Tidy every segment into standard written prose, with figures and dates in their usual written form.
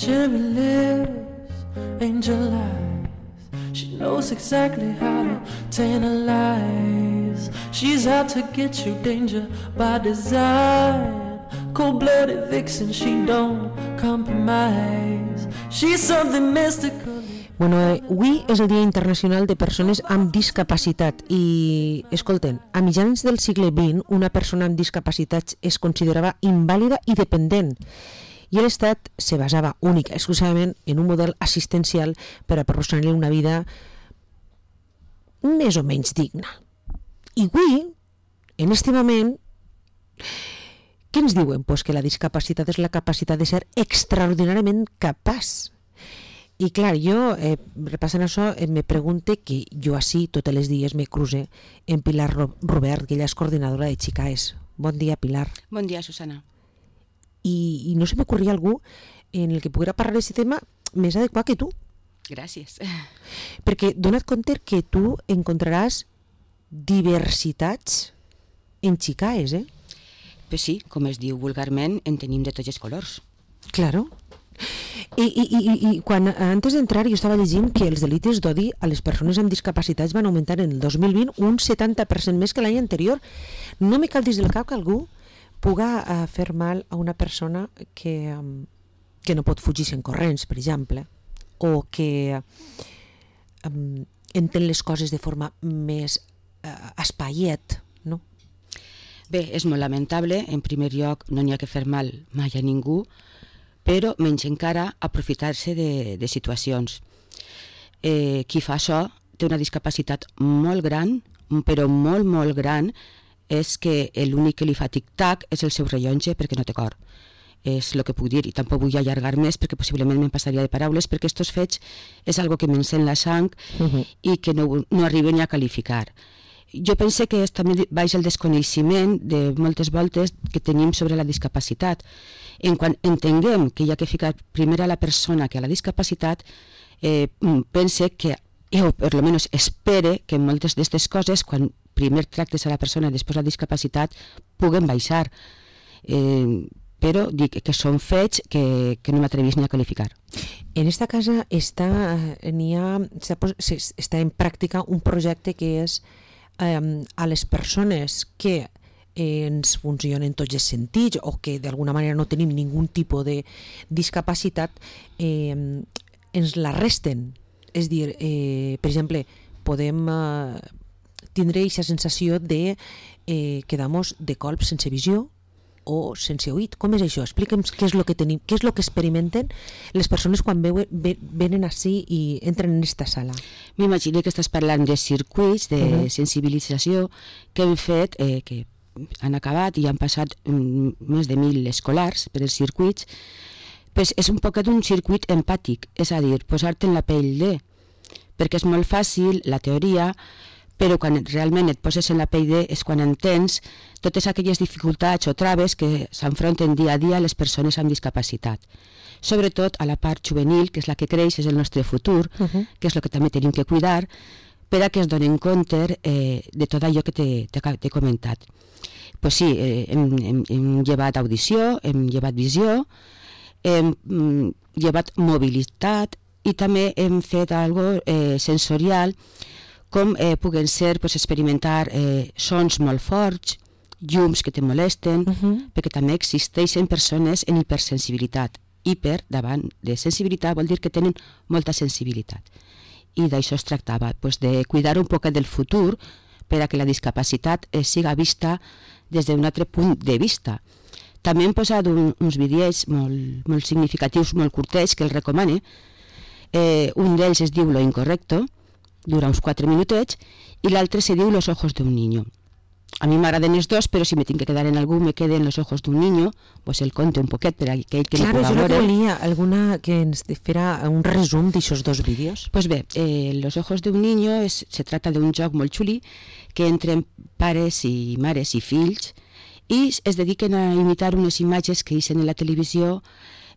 cherry lips, angel eyes. She knows exactly how to tantalize. She's out to get you, danger by design. Cold-blooded vixen, she don't compromise. She's something mystical. Bueno, avui és el Dia Internacional de Persones amb Discapacitat i, escolten, a mitjans del segle XX una persona amb discapacitats es considerava invàlida i dependent i l'Estat se basava única, exclusivament en un model assistencial per a proporcionar-li una vida més o menys digna. I avui, en este moment, què ens diuen? Pues que la discapacitat és la capacitat de ser extraordinàriament capaç. I clar, jo, repassant això, me pregunte que jo així totes les dies me cruce en Pilar Robert, que ella és coordinadora de Xicaes. Bon dia, Pilar. Bon dia, Susana. I no se m'ocorria algú en el que poguera parlar d'aquest tema més adequat que tu. Gràcies. Perquè dona't compte que tu encontraràs diversitats en Xicaes, eh? Pues sí, com es diu vulgarment, en tenim de tots els colors. Claro. I quan antes d'entrar jo estava llegint que els delictes d'odi a les persones amb discapacitats van augmentar en el 2020 un 70% més que l'any anterior. No me cal dir del cap que algú puga fer mal a una persona que no pot fugir en corrents, per exemple, o que entén les coses de forma més espaiet, no? Bé, és molt lamentable. En primer lloc, no n'hi ha que fer mal mai a ningú, però menys encara aprofitar-se de situacions. Qui fa això té una discapacitat molt gran, però molt, molt gran, és que l'únic que li fa tic-tac és el seu rellotge perquè no té cor. És el que puc dir, i tampoc vull allargar més perquè possiblement me'n passaria de paraules, perquè estos fets és algo que m'encén la sang i que no arriben ni a qualificar. Jo pense que és també baix el desconeixement de moltes voltes que tenim sobre la discapacitat. En quan entenguem que hi ha que ficar primer a la persona que a la discapacitat, pense que, o per almenys espere que moltes d'aquestes coses, quan primer tractes a la persona i després la discapacitat, puguen baixar. Però dic que són fets que no m'atrevís ni a qualificar. En esta casa està en pràctica un projecte que és a les persones que ens funcionen tots els sentits o que d'alguna manera no tenim ningun tipus de discapacitat, ens la resten. És dir, per exemple, podem tindre aquesta sensació de quedar-nos de colp sense visió o sense oït. Com és això? Explica'm què és el que tenim, què és el que experimenten les persones quan venen així i entren en aquesta sala. M'imagino que estàs parlant de circuits de sensibilització que hem fet, que han acabat i han passat més de 1.000 escolars per els circuits. Pues és un poquet un circuit empàtic, és a dir, posar-te en la pell de, perquè és molt fàcil la teoria, però quan realment et poses en la pell de és quan entens totes aquelles dificultats o traves que s'enfronten dia a dia les persones amb discapacitat. Sobretot a la part juvenil, que és la que creix, és el nostre futur, que és el que també tenim que cuidar, per a que es donen compte de tot allò que t'he comentat. Pues sí, hem llevat audició, hem llevat visió, hem llevat mobilitat i també hem fet algo sensorial, com puguen ser experimentar sons molt forts, llums que te molesten, perquè també existeixen persones en hipersensibilitat. Hiper, davant de sensibilitat, vol dir que tenen molta sensibilitat. I d'això es tractava, de cuidar un poc del futur per a que la discapacitat siga vista des d'un altre punt de vista. També hem posat uns vídeos molt significatius, molt curtets, que els recomane. Un d'ells es diu Lo Incorrecto, dura uns 4 minutets, i l'altre se diu Los Ojos de un Niño. A mi m'agraden els dos, però si me tinc que quedar en algú, me quede en Los Ojos de un Niño, pues el conte un poquet per a aquell que no puga veure. Claro, jo volia alguna que ens fera un resum d'aixòs dos vídeos. Pues bé, Los Ojos de un Niño se trata d'un joc molt xuli que entren pares i mares i fills i es dediquen a imitar unes imatges que eixen en la televisió.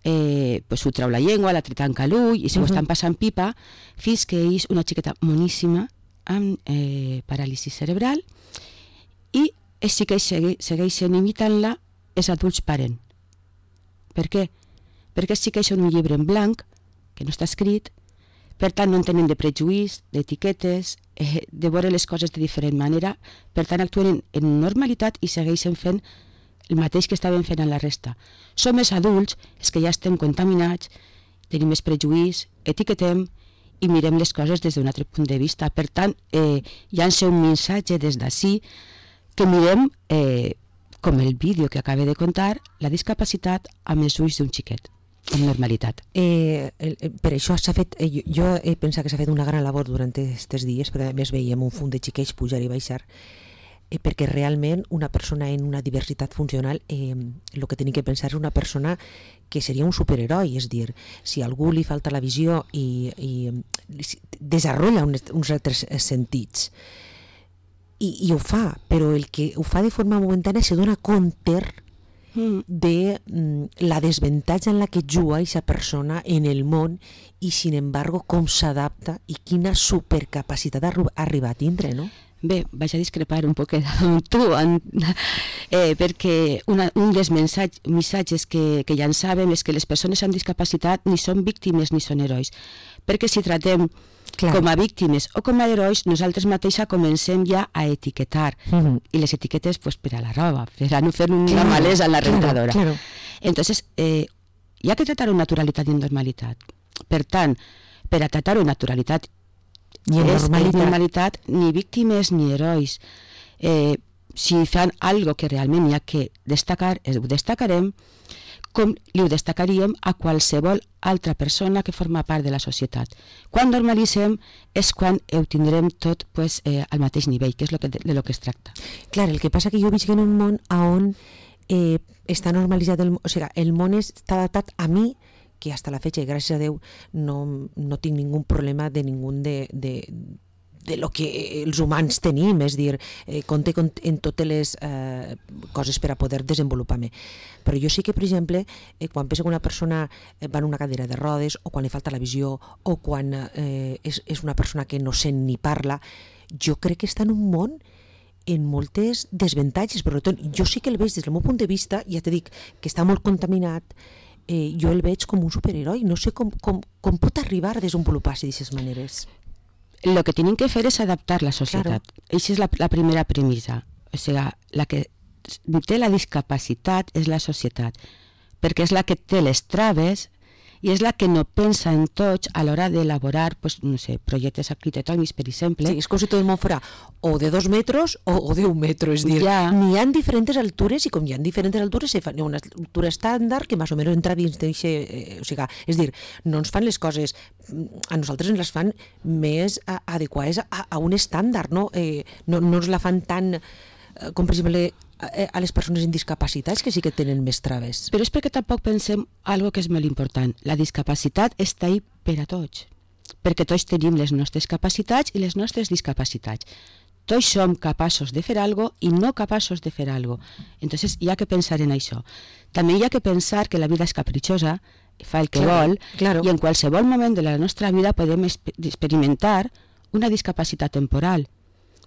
Ho treu la llengua, l'altre tanca l'ull i s'ho estan passant pipa fins que és una xiqueta moníssima amb paràlisi cerebral i sí que segueixen imitant-la, els adults paren. Per què? perquè els xiquets són un llibre en blanc, que no està escrit, per tant no en tenen de prejuís, d'etiquetes, de veure les coses de diferent manera, per tant actuen en normalitat i segueixen fent el mateix que estaven fent en la resta. Som els adults, els que ja estem contaminats, tenim més prejuís, etiquetem i mirem les coses des d'un altre punt de vista. Per tant, llança un missatge des d'ací que mirem, com el vídeo que acaba de contar, la discapacitat amb els ulls d'un xiquet, amb normalitat. Per això s'ha fet, jo he pensat que s'ha fet una gran labor durant aquests dies, perquè a més veiem un fum de xiquets pujar i baixar, perquè realment una persona en una diversitat funcional el que tenim que pensar és una persona que seria un superheroi, és dir, si a algú li falta la visió i desenvolupa uns altres sentits i ho fa, però el que ho fa de forma momentània se dona compte de la desavantatge en la que juga aquesta persona en el món i, sin embargo, com s'adapta i quina supercapacitat arriba a tindre, no? Bé, vaig a discrepar un poquet amb tu, perquè un dels missatges que llançàvem és que les persones amb discapacitat ni són víctimes ni són herois, perquè si tratem com a víctimes o com a herois, nosaltres mateixa comencem ja a etiquetar, i les etiquetes pues, per a la roba, per a no fer una malesa en la rentadora. Entonces, hi ha que tratar-ho amb naturalitat i amb normalitat. Per tant, per a tratar-ho amb naturalitat ni normalitat, ni víctimes ni herois. Si fan algo que realment hi ha que destacar, ho destacarem com li ho destacaríem a qualsevol altra persona que forma part de la societat. Quan normalitzem és quan ho tindrem tot pues, al mateix nivell, que és de lo que es tracta. Clar, el que passa que jo visc en un món on està normalitzat, o sigui, el món està adaptat a mi, que hasta la fecha, i gràcies a Déu, no tinc ningú problema de ningú de lo que els humans tenim, és dir, compte en totes les coses per a poder desenvolupar-me. Però jo sí que, per exemple, quan penso que una persona va en una cadira de rodes, o quan li falta la visió, o quan és una persona que no sent ni parla, jo crec que està en un món en moltes desavantatges. Per tant, jo sí que el veig des del meu punt de vista, ja t'he dit que està molt contaminat, jo el veig com un superheroi. No sé com pot arribar a desenvolupar-se d'aquestes maneres. El que tenim que fer és adaptar la societat. Aquesta és la primera premissa. O sigui, la que té la discapacitat és la societat, perquè és la que té les traves i és la que no pensa en tots a l'hora d'elaborar, pues, no sé, projectes arquitectònics, per exemple. Sí, és com si tot el món fora o de 2 metres o de 1 metro, és dir, n'hi ha diferents altures i com hi ha diferents altures hi ha una altura estàndard que més o menys entra dins d'això, o sigui, és dir, no ens fan les coses, a nosaltres ens les fan més adequades a un estàndard, no ens la fan tan, com per exemple a les persones amb discapacitats, que sí que tenen més traves. Però és perquè tampoc pensem algo que és molt important. La discapacitat està ahí per a tots, perquè tots tenim les nostres capacitats i les nostres discapacitats. Tots som capaços de fer algo i no capaços de fer algo. Entonces hi ha que pensar en això. També hi ha que pensar que la vida és capritxosa, fa el que vol, i en qualsevol moment de la nostra vida podem experimentar una discapacitat temporal.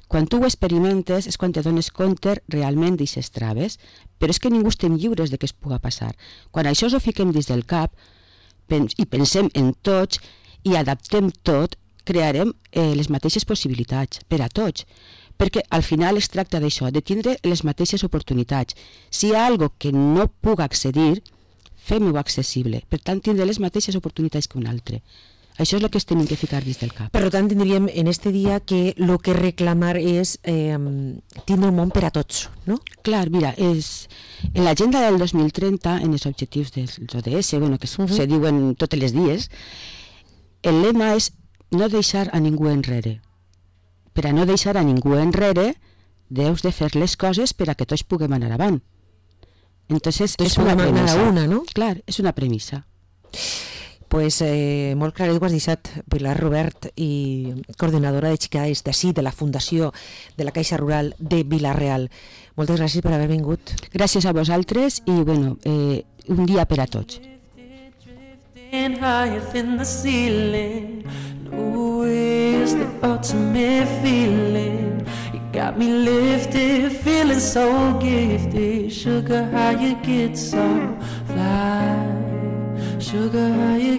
Quan tu ho experimentes és quan te dones compte realment d'aquestes traves, però és que ningú estem lliures de què es puga passar. Quan això ho fiquem dins del cap i pensem en tots i adaptem tot, crearem les mateixes possibilitats per a tots, perquè al final es tracta d'això, de tindre les mateixes oportunitats. Si hi ha alguna cosa que no puga accedir, fem-ho accessible, per tant tindre les mateixes oportunitats que un altre. Això és el que es tenim que ficar dins del cap. Per tant, tindríem en este dia que el que reclamar és tindre un món per a tots, no? Clar, mira, en l'agenda del 2030, en els objectius dels ODS, que se diuen tots els dies, el lema és no deixar a ningú enrere. Per a no deixar a ningú enrere, deus de fer les coses per a que tots puguem anar avant. Entonces, és una premissa. No? Clar, és una premissa. Pues molt clar, ho has deixat, Pilar Robert, i coordinadora de xicades d'ací, de la Fundació de la Caixa Rural de Vila-real. Moltes gràcies per haver vingut. Gràcies a vosaltres i un dia per a tots. Got me lifted, feeling so gifted. Sugar, how you get so fly? Sugar, how you